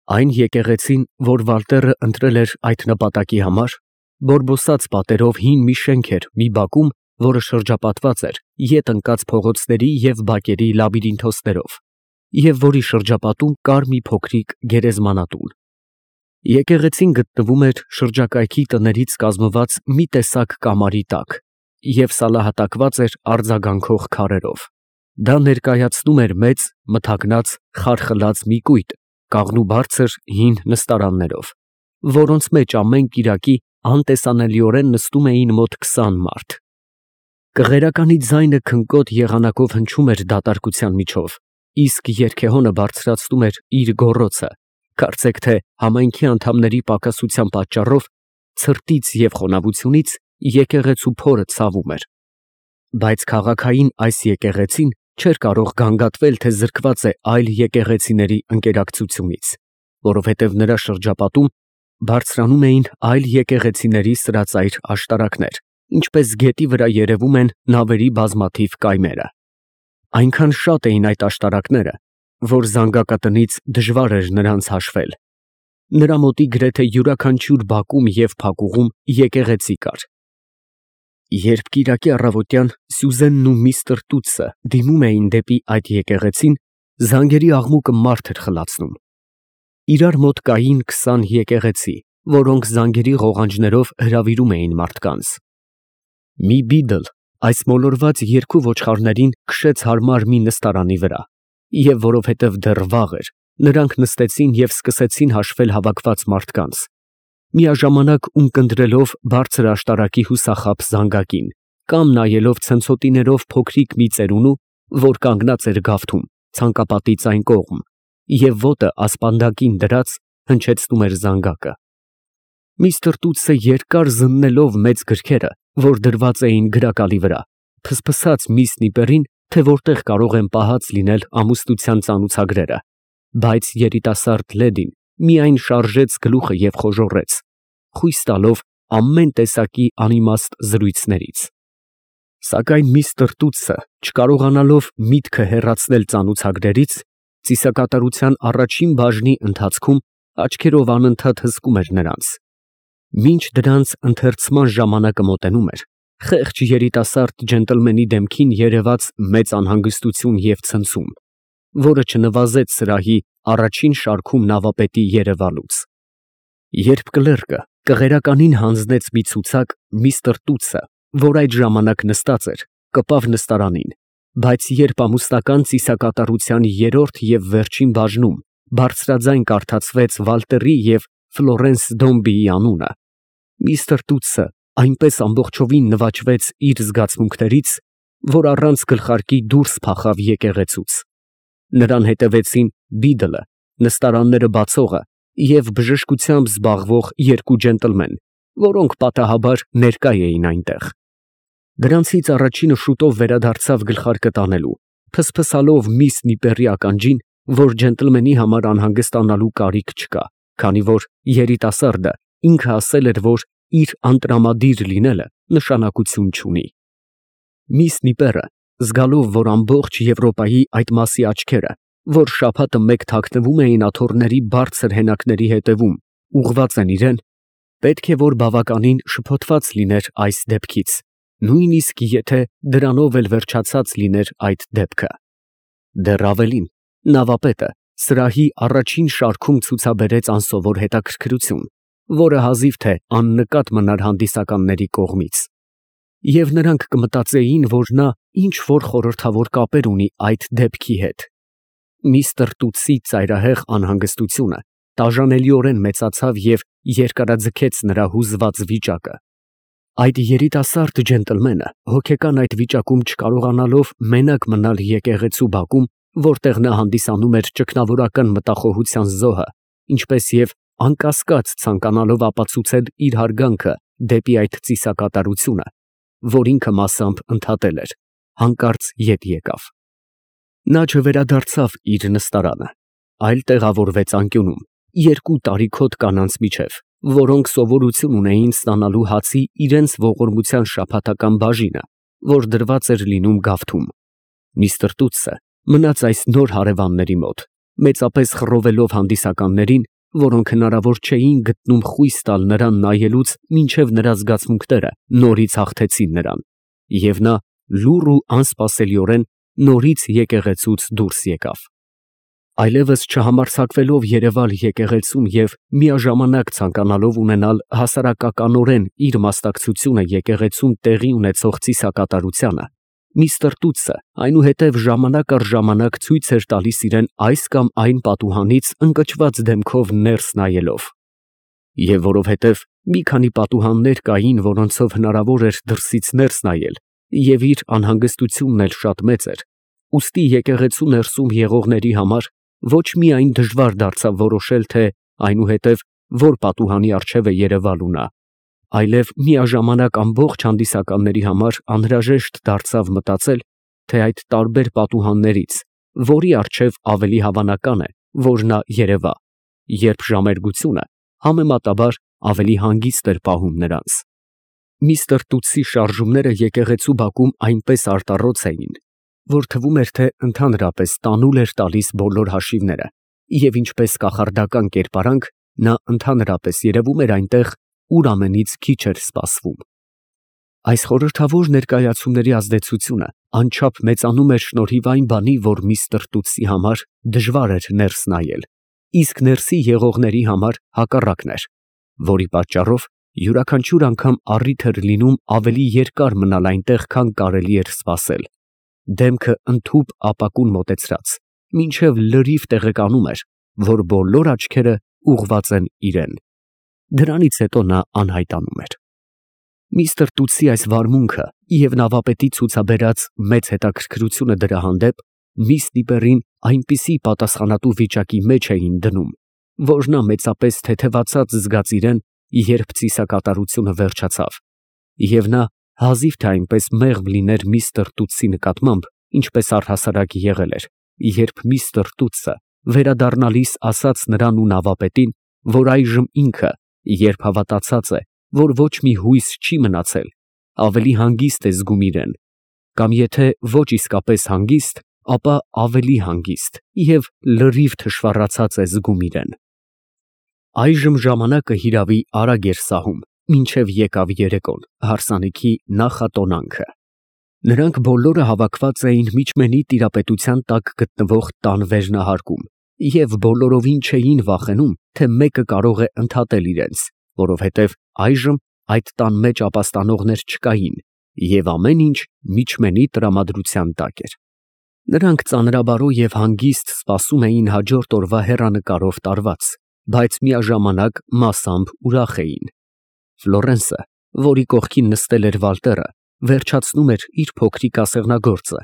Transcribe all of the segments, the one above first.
Այն եկեղեցին, որ Վալտերը ընտրել էր այդ նպատակի համար, բորբոսած պատերով հին մի շենք էր մի բակում, որը շրջապատված էր ետ ընկած փողոցների և բակերի լաբիրինթոսներով, և որի շրջապատում կար մի փոքրիկ գերեզմանատուն։ Եկեղեցին գտնվում էր շրջակայքի տներից կազմված մի տեսակ կամարի տակ և սալահատակված էր արձագանքող քարերով։ Դա ներկայացնում էր մեծ, մթագնած, խարխլած մի կույտ, կաղնուբարձր հին նստարաններով, որոնց մեջ ամեն կիրակի անտեսանելիորեն նստում էին մոտ 20 մարդ։ Կղերականի ձայնը քնկոտ եղանակով հնչում էր դատարկության միջով, իսկ երգեհոնը բարձրացնում էր իր գոռոցը, կարծեք թե համայնքի անդամների պակասության պատճառով, ցրտից և խոնավությունից եկեղեցու փորը ցավում էր։ Բայց քաղաքային այս եկեղեցին չէր կարող գանգատվել, թե զրկված է այլ եկեղեցիների ընկերակցությունից, որովհետև նրա շրջապատում բարձրանում էին այլ եկեղեցիների սրածայր աշտարակներ, ինչպես գետի վրա երևում են նավերի բազմաթիվ կայմերը։ Այնքան շատ էին այդ աշտարակները, որ զանգակատնից դժվար էր նրանց հաշվել։ Նրա մոտի գրեթե յուրաքանչյուր բակում և փակուղում եկեղեցի կար։ Երբ կիրակի առավոտյան Սյուզենն ու միստր Տուտսը դիմում էին դեպի այդ եկեղեցին, զանգերի աղմուկը մարդ էր խլացնում։ Իրար մոտ կային 20 եկեղեցի, որոնք զանգերի ղողանջներով հրավիրում էին մարդկանց։ Մի բիդլ այս մոլորված երկու ոչխարներին քշեց հարմար մի նստարանի վրա, և որովհետև դեռ վաղ էր, նրանք նստեցին և սկսեցին հաշվել հավաքված մարդկանց, միաժամանակ ունկնդրելով բարձր աշտարակի հուսախաբ զանգակին, կամ նայելով ցնցոտիներով փոքրիկ մի ծերունու, որ կանգնած էր գավթում, ցանկապատից այն կողմ, և ոտը ասպանդակին դրած հնչեցնում էր զանգակը։ Միստր Տուտսը երկար զննելով մեծ գրքերը, որ դրված էին գրակալի վրա, փսփսաց միս Նիպերին, թե որտեղ կարող են պահած լինել ամուսնության ծանուցագրերը, բայց երիտասարդ լեդին միայն շարժեց գլուխը և խոժոռեց, խույս տալով ամեն տեսակի անիմաստ զրույցներից։ Սակայն միստր Տուտսը, չկարողանալով միտքը հեռացնել ծանուցագրերից, ծիսակատարության առաջին բաժնի ընթացքում աչքերով անընդհատ հսկում էր նրանց։ Մինչ դրանց ընթերցման ժամանակը մոտենում էր, խեղճ երիտասարդ ջենտլմենի դեմքին երևաց մեծ անհանգստություն և ցնցում, որը չնվազեց սրահի առաջին շարքում նավապետի երևալուց։ Երբ կլերկը կղերականին հանձնեց մի ցուցակ, միստր Տուտսը, որ այդ ժամանակ նստած էր, կպավ նստարանին, բայց երբ ամուսնական ծիսակատարության երրորդ և վերջին բաժնում բարձրաձայն կարդացվեց Վալտերի և Ֆլորենս Դոմբիի անունը, միստր Տուտսը այնպես ամբողջովին նվաճվեց իր զգացմունքներից, որ առանց գլխարկի դուրս փախավ եկեղեցուց։ Նրան հետևեցին բիդլը, նստարանները բացողը և բժշկությամբ զբաղվող երկու ջենտլմեն, որոնք պատահաբար ներկա էին այնտեղ։ Դրանցից առաջինը շուտով վերադարձավ գլխարկը տանելու, փսփսալով միս Նիպերի ականջին, որ ջենտլմենի համար անհանգստանալու կարիք չկա, քանի որ երիտասարդը ինքը ասել էր, որ իր անտրամադիր լինելը նշանակություն չունի։ Միս Նիպերը, զգալով, որ ամբողջ Եվրոպայի այդ մասի աչքերը, որ շաբաթը մեկ թաքնվում էին աթոռների բարձր հենակների հետևում, ուղղված են իրեն, պետք է որ բավականին շփոթված լիներ այս դեպքից, նույնիսկ եթե դրանով էլ վերջացած լիներ այդ դեպքը։ Դեռ ավելին, նավապետը սրահի առաջին շարքում ցուցաբերեց անսովոր հետաքրքրություն, որը հազիվ թե աննկատ մնար հանդիսականների կողմից, և նրանք կմտածեին, որ նա ինչ֊որ խորհրդավոր կապեր ունի այդ դեպքի հետ։ Միստր Տուտսի ծայրահեղ անհանգստությունը տաժանելիորեն մեծացավ և երկարաձգեց նրա հուզված վիճակը։ Այդ երիտասարդ ջենտլմենը, հոգեկան այդ վիճակում չկարողանալով մենակ մնալ եկեղեցու բակում, որտեղ նա հանդիսանում էր ճգնավորական մտախոհության զոհը, ինչպես և անկասկած ցանկանալով ապացուցել իր հարգանքը դեպի այդ ծիսակատարությունը, որ ինքը մասամբ ընդհատել էր, հանկարծ ետ եկավ։ Նա չվերադարձավ իր նստարանը, այլ տեղավորվեց անկյունում, երկու տարիքոտ կանանց միջև, որոնք սովորություն ունեին ստանալու հացի իրենց ողորմության շաբաթական բաժինը, որ դրված էր լինում գավթում։ Միստր Տուտսը մնաց այս նոր հարևանների մոտ, մեծապես խռովելով հանդիսականներին որոնք հնարավոր չէին գտնում խույս տալ նրան նայելուց, մինչև նրա զգացմունքները նորից հաղթեցին նրան, և նա լուռ ու անսպասելիորեն նորից եկեղեցուց դուրս եկավ։ Այլևս չհամարձակվելով երևալ եկեղեցում և միաժամանակ ցանկանալով ունենալ հասարակականորեն իր մասնակցությունը եկեղեցում տեղի ունեցող ծիսակատարությանը, միստր Տուտսը այնուհետև ժամանակ առ ժամանակ ցույց էր տալիս իրեն այս կամ այն պատուհանից ընկճված դեմքով ներս նայելով։ Եվ որովհետև մի քանի պատուհաններ կային, որոնցով հնարավոր էր դրսից ներս նայել, և իր անհանգստությունն էլ շատ մեծ էր, ուստի եկեղեցու ներսում եղողների համար ոչ միայն դժվար դարձավ որոշել, թե այնուհետև որ պատուհանի առջև է երևալու նա, այլև միաժամանակ ամբողջ հանդիսականների համար անհրաժեշտ դարձավ մտածել, թե այդ տարբեր պատուհաններից որի առջև ավելի հավանական է, որ նա երևա, երբ ժամերգությունը համեմատաբար ավելի հանգիստ էր պահում նրանց։ Միստր Տուտսի շարժումները եկեղեցու բակում այնպես արտառոց էին, որ թվում էր, թե ընդհանրապես տանուլ էր տալիս բոլոր հաշիվները, և ինչպես կախարդական կերպարանք, նա ընդհանրապես երևում էր այնտեղ, ուր ամենից քիչ էր սպասվում։ Այս խորհրդավոր ներկայացումների ազդեցությունը անչափ մեծանում էր շնորհիվ այն բանի, որ միստր Տուտսի համար դժվար էր ներս նայել, իսկ ներսի եղողների համար հակառակն էր, որի պատճառով յուրաքանչյուր անգամ առիթ էր լինում ավելի երկար մնալ այնտեղ, քան կարելի էր սպասել, դեմքը ընդհուպ ապակուն մոտեցրած, մինչև լրիվ տեղեկանում էր, որ բոլոր աչքերը ուղղված են իրեն։ Դրանից հետո նա անհայտանում էր։ Միստր Տուտսի այս վարմունքը և նավապետի ցուցաբերած մեծ հետաքրքրությունը դրա հանդեպ միս Դիպերին այնպիսի պատասխանատու վիճակի մեջ էին դնում, որ նա մեծապես թեթևացած զգաց իրեն, երբ ծիսակատարությունը վերջացավ, և նա հազիվ թե այնպես մեղմ լիներ միստր Տուտսի նկատմամբ, ինչպես առհասարակ եղել էր, երբ միստր Տուտսը վերադառնալիս ասաց նրան ու նավապետին, որ այժմ ինքը, երբ հավատացած է, որ ոչ մի հույս չի մնացել, ավելի հանգիստ է զգում իրեն, կամ եթե ոչ իսկապես հանգիստ, ապա ավելի հանգիստ և լրիվ թշվառացած է զգում իրեն։ Այժմ ժամանակը հիրավի արագ էր սահում, մինչև եկավ երեկոն, հարսանիքի նախատոնանքը։ Նրանք բոլորը հավաքված էին միջմենի տիրապետության տակ գտնվող տան վերնահարկում և բոլորովին չէին վախենում, թե մեկը կարող է ընդհատել իրենց, որովհետև այժմ այդ տան մեջ ապաստանողներ չկային, և ամեն ինչ միջմենի տրամադրության տակ էր։ Նրանք ծանրաբարո և հանգիստ սպասում էին հաջորդ օրվա հեռանկարով տարված, բայց միաժամանակ մասամբ ուրախ էին։ Ֆլորենսը, որի կողքին նստել էր Վալտերը, վերջացնում էր իր փոքրիկ ասեղնագործը,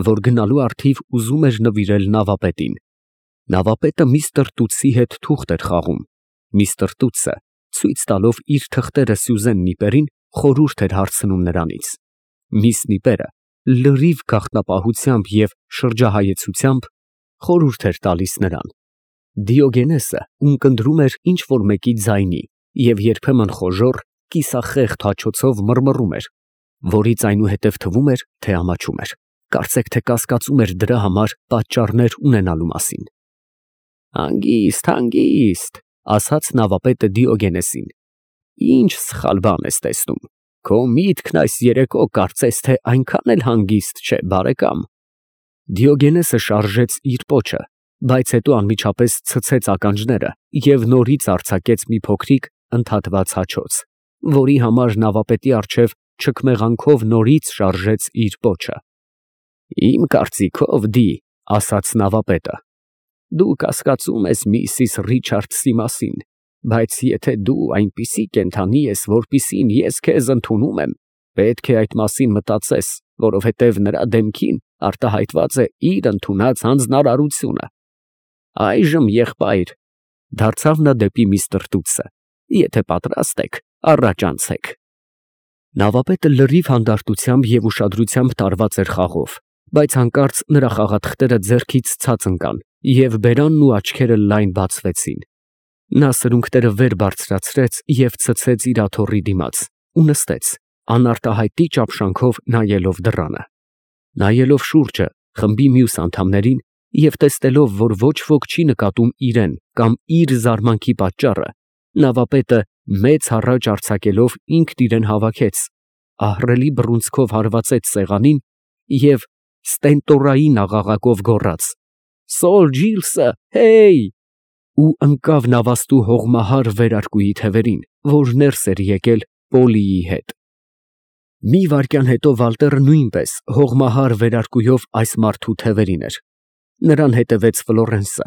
որ գնալու առթիվ ուզում էր նվիրել նավապետին։ Նավապետը միստր Տուտսի հետ թուղթ էր խաղում։ Միստր Տուտսը, ցույց տալով իր թղթերը Սյուզեն Նիպերին, խորհուրդ էր հարցնում նրանից։ Միս Նիպերը լրիվ գաղտնապահությամբ և շրջահայեցությամբ խորհուրդ էր տալիս նրան։ Դիոգենեսը ունկնդրում էր ինչ֊որ մեկի ձայնի և երբեմն խոժոռ, կիսախեղդ հաչոցով մռմռում էր, որից այնուհետև թվում էր, թե ամաչում էր, կարծեք թե կասկածում էր դրա համար պատճառներ ունենալու մասին։ «Հանգիստ, հանգիստ», ասաց նավապետը Դիոգենեսին, «ինչ սխալ բան ես տեսնում, քո միտքն այս երեկո կարծես թե այնքան էլ հանգիստ չէ, բարեկամ»։ Դիոգենեսը շարժեց իր պոչը, բայց հետո անմիջապես ցցեց ականջները և նորից արձակեց մի փոքրիկ ընդհատված հաչոց, որի համար նավապետի առջև չքմեղանքով նորից շարժեց իր պոչը։ «Իմ կարծիքով, ասաց նավապետը, դու կասկածում ես միսիս Ռիչարդսի մասին, բայց եթե դու այնպիսի կենդանի ես, որպիսին ես քեզ ընդունում եմ, պետք է այդ մասին մտածես, որովհետև նրա դեմքին արտահայտված է իր ընդունած հանձնարարությունը։ Այժմ, եղբայր, դարձավ նա դեպի միստր Տուտսը, եթե պատրաստ եք, առաջ անցեք։ Նավապետը լրիվ հանդարտությամբ և ուշադրությամբ տարված էր խաղով, բայց հանկարծ նրա խաղաթղթերը ձեռքից ցած ընկան, և բերանն ու աչքերը լայն բացվեցին։ Նա սրունքները վեր բարձրացրեց և ցցեց իր աթոռի դիմաց ու նստեց, անարտահայտի ճապշանքով նայելով դռանը։ Նայելով շուրջը, խմբի մյուս անդամներին, Եվ տեսնելով, որ ոչ ոք չի նկատում իրեն կամ իր զարմանքի պատճառը, նավապետը մեծ հառաչ արձակելով ինքն իրեն հավաքեց, ահռելի բռունցքով հարվածեց սեղանին և ստենտորային աղաղակով գոռաց. «Սոլ Ջիլսը, հեյ!» ու ընկավ նավաստու հողմահար վերարկուի թևերին, որ ներս էր եկել Պոլիի հետ։ Մի վայրկյան հետո Վալտերը նույնպես հողմահար վերարկուով այս մարդու թևերին էր։ Նրան հետևեց Ֆլորենսը,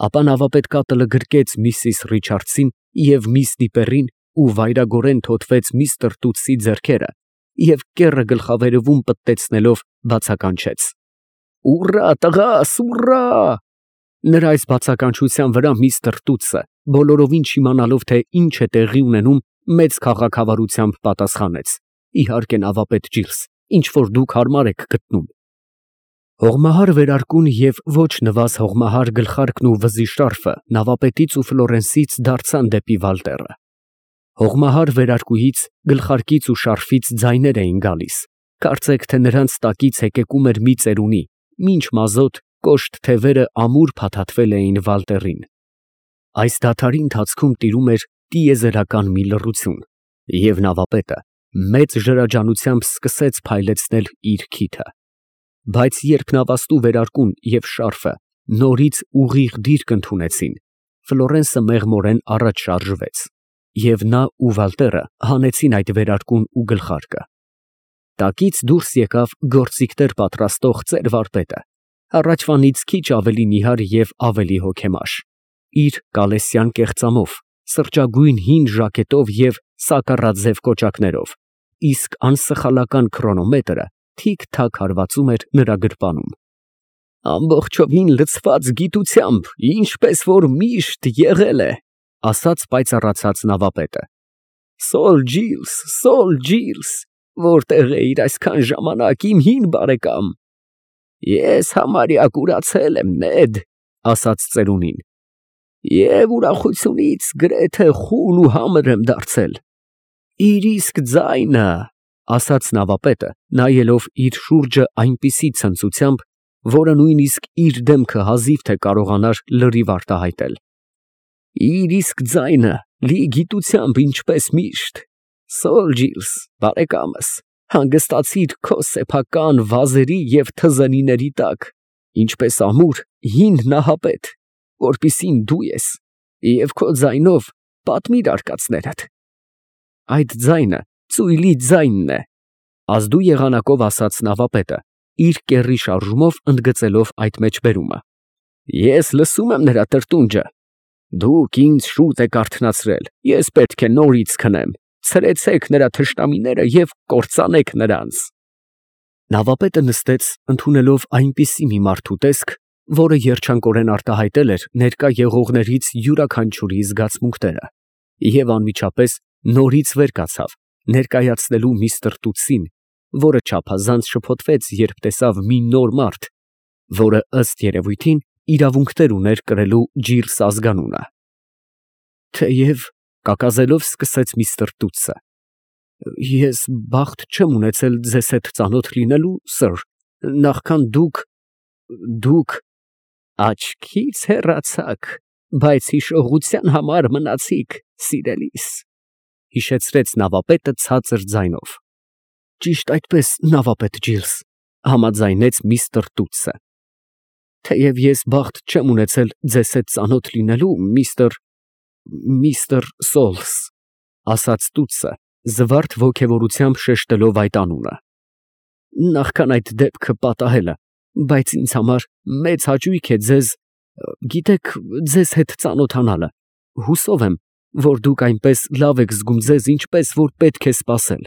ապա նավապետ կատլը գրկեց միսիս Ռիչարդսին և միս Դիպերին ու վայրագորեն թոթվեց միստր Տուտսի ձեռքերը և կեռը գլխավերևում պտտեցնելով բացականչեց. «Ուռա, տղաս, ուռա!» Նրա այս բացականչության վրա միստր Տուտսը, բոլորովին չիմանալով, թե ինչ է տեղի ունենում, մեծ քաղաքավարությամբ պատասխանեց. «Իհարկե, նավապետ Ջիլս, ինչ որ դուք հարմար եք գտնում»։ Հողմահար վերարկուն և ոչ նվազ հողմահար գլխարկն ու վզի շարֆը նավապետից ու Ֆլորենսից դարձան դեպի Վալտերը։ Հողմահար վերարկուից, գլխարկից ու շարֆից ձայներ էին գալիս, կարծեք թե նրանց տակից հեկեկում էր մի ծերունի, մինչ մազոտ կոշտ թևերը ամուր փաթաթվել էին Վալտերին։ Այս դադարի ընթացքում տիրում էր տիեզերական մի լռություն, և նավապետը մեծ ջրաջանությամբ սկսեց փայլեցնել իր քիթը։ Բայց երբ նավաստու վերարկուն և շարֆը նորից ուղիղ դիրք ընդունեցին, Ֆլորենսը մեղմորեն առաջ շարժվեց, և նա ու Վալտերը հանեցին այդ վերարկուն ու գլխարկը։ Տակից դուրս եկավ գործիքներ պատրաստող ծեր վարպետը, առաջվանից քիչ ավելի նիհար և ավելի հոգեմաշ, իր կալեսյան կեղծամով, սրճագույն հին ժակետով և սակառաձև կոճակներով, իսկ անսխալական քրոնոմետրը թիք֊թաք հարվածում էր նրա գրպանում։ «Ամբողջովին լցված գիտությամբ, ինչպես որ միշտ եղել է», ասաց պայծառացած նավապետը։ Սոլ Ջիլս, որտեղ էիր այսքան ժամանակ, իմ հին բարեկամ։ Ես համարյա կուրացել եմ, Նեդ, ասաց ծերունին, և ուրախությունից գրեթե խուլ ու համր եմ դարձել։ Իր իսկ ձայնը, ասաց նավապետը, նայելով իր շուրջը այնպիսի ցնծությամբ, որը նույնիսկ իր դեմքը հազիվ թե կարողանար լրիվ արտահայտել։ Իր իսկ ձայնը, լի գիտությամբ, ինչպես միշտ։ Սոլ Ջիլս, բարեկամս, հանգստացիր քո սեփական վազերի և թզենիների տակ, ինչպես ամուր հին նահապետ, որպիսին դու ես, և քո ձայնով պատմիր արկածներդ։ Այդ ձայնը ծույլի ձայնն է, ազդու եղանակով ասաց նավապետը, իր կեռի շարժումով ընդգծելով այդ մեջբերումը։ Ես լսում եմ նրա տրտունջը։ Դուք ինձ շուտ եք արթնացրել, ես պետք է նորից քնեմ, ցրեցեք նրա թշնամիները և կործանեք նրանց։ Նավապետը նստեց, ընդունելով այնպիսի մի մարդու տեսք, որը երջանկորեն արտահայտել էր ներկա եղողներից յուրաքանչյուրի զգացմունքները, և անմիջապես նորից վեր կացավ, ներկայացնելու միստր Տուտսին, որը չափազանց շփոթվեց, երբ տեսավ մի նոր մարդ, որը ըստ երևույթին իրավունքներ ուներ կրելու Ջիլս ազգանունը։ Թեև կակազելով սկսեց միստր Տուտսը. Ես բախտ չեմ ունեցել ձեզ հետ ծանոթ լինելու, սըր, նախքան դուք աչքից հեռացաք, բայց հիշողության համար մնացիք, սիրելիս, հիշեցրեց նավապետը ցածր ձայնով։ Ճիշտ այդպես, նավապետ Ջիլս, համաձայնեց միստր Տուտսը։ Թեև ես բախտ չեմ ունեցել ձեզ հետ ծանոթ լինելու, միստր Սոլս, ասաց Տուտսը, զվարթ ոգևորությամբ շեշտելով այդ անունը։ Նախքան այդ դեպքը պատահելը, բայց ինձ համար մեծ հաճույք է գիտեք, ձեզ հետ ծանոթանալը, հուսով եմ, որ դուք այնպես լավ եք զգում ձեզ, ինչպես որ պետք է սպասել։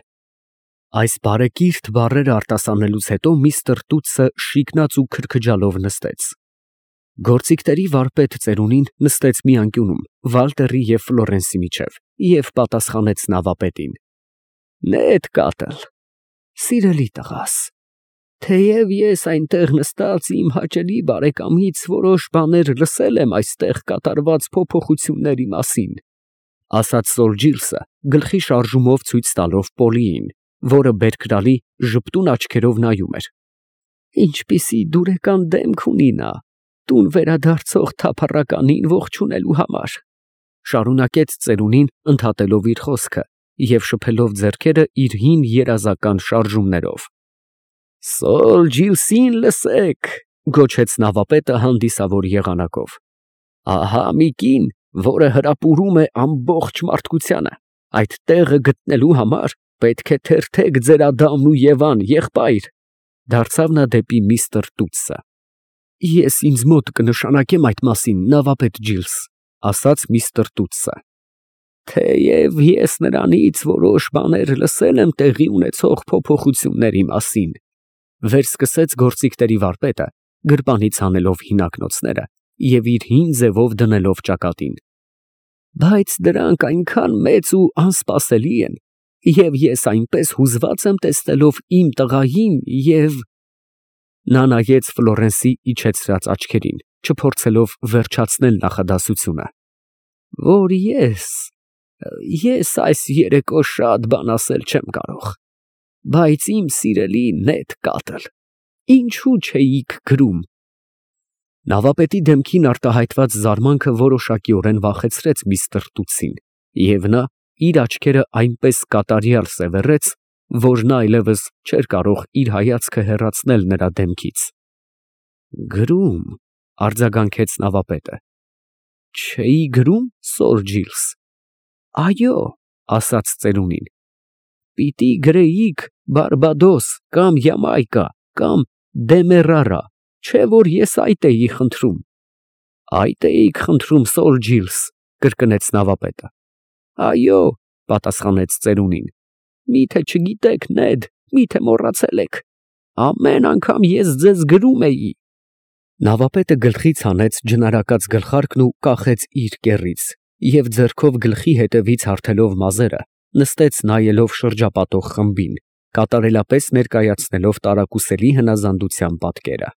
Այս բարեկիրթ բառերը արտասանելուց հետո միստր Տուտսը շիկնաց ու քրքջալով նստեց։ Գործիքների վարպետ ծերունին նստեց մի անկյունում, Վալտերի և Ֆլորենսի միջև, և պատասխանեց նավապետին. Նեդ կատլ, սիրելի տղաս, թեև ես այնտեղ նստած իմ հաճելի բարեկամից որոշ բաներ լսել եմ այստեղ կատարված փոփոխությունների մասին, ասաց Սոլ Ջիլսը, գլխի շարժումով ցույց տալով Պոլիին, որը բերքրալի ժպտուն աչքերով նայում էր։ Ինչպիսի դուրեկան դեմք ունի նա, տուն վերադարձող թափառականին ողջունելու համար, շարունակեց ծերունին, ընդհատելով իր խոսքը և շփելով ձեռքերը իր հին երազական շարժումներով։ «Սոլ Ջիլսին լսեք», գոչեց նավապետը հանդիսավոր եղանակով։ «Ահա մի կին, որը հրապուրում է ամբողջ մարդկությանը։ Այդ տեղը գտնելու համար պետք է թերթեք ձեր Ադամն ու Եվան, եղբայր», դարձավ նա դեպի միստր Տուտսը։ «Ես ինձ մոտ կնշանակեմ այդ մասին, նավապետ Ջիլս», ասաց միստր Տուտսը։ «Թեև ես նրանից որոշ բաներ լսել եմ տեղի ունեցող փոփոխությունների մասին», վերսկսեց գործիքների վարպետը, գրպանից հանելով հինակնոցները և իր հին ձևով դնելով ճակատին։ «Բայց դրանք այնքան մեծ ու անսպասելի են, և ես այնպես հուզված եմ տեսնելով իմ տղային և…» Նա նայեց Ֆլորենսի իջեցրած աչքերին, չփորձելով վերջացնել նախադասությունը, «որ ես այս երեկո շատ բան ասել չեմ կարող, բայց իմ սիրելի նեթ կատլ, ինչու չէիք գրում»։ Նավապետի դեմքին արտահայտված զարմանքը որոշակիորեն վախեցրեց միստր Տուտսին, և նա իր աչքերը այնպես կատարյալ սևեռեց, որ նա այլևս չէր կարող իր հայացքը հեռացնել նրա դեմքից։ «Գրում», արձագանքեց նավապետը։ «Չէի գրում, սոր Ջիլս»։ «Այո», ասաց ծերունին, «պիտի գրեիք Բարբադոս կամ Յամայկա կամ Դեմերարա, չէ՞ որ ես այդ էի խնդրում»։ «Այդ էիք խնդրում, սոր Ջիլս», կրկնեց նավապետը։ «Այո», պատասխանեց ծերունին, «միթե չգիտեք, Նեդ, միթե մոռացել եք, ամեն անգամ ես ձեզ գրում էի»։ Նավապետը գլխից հանեց ջնարակած գլխարկն ու կախեց իր կեռից և ձեռքով գլխի ետևից հարթելով մազերը, նստեց նայելով շրջապատող խմբին, կատարելապես ներկայացնելով տարակուսելի հնազանդության պատկերը։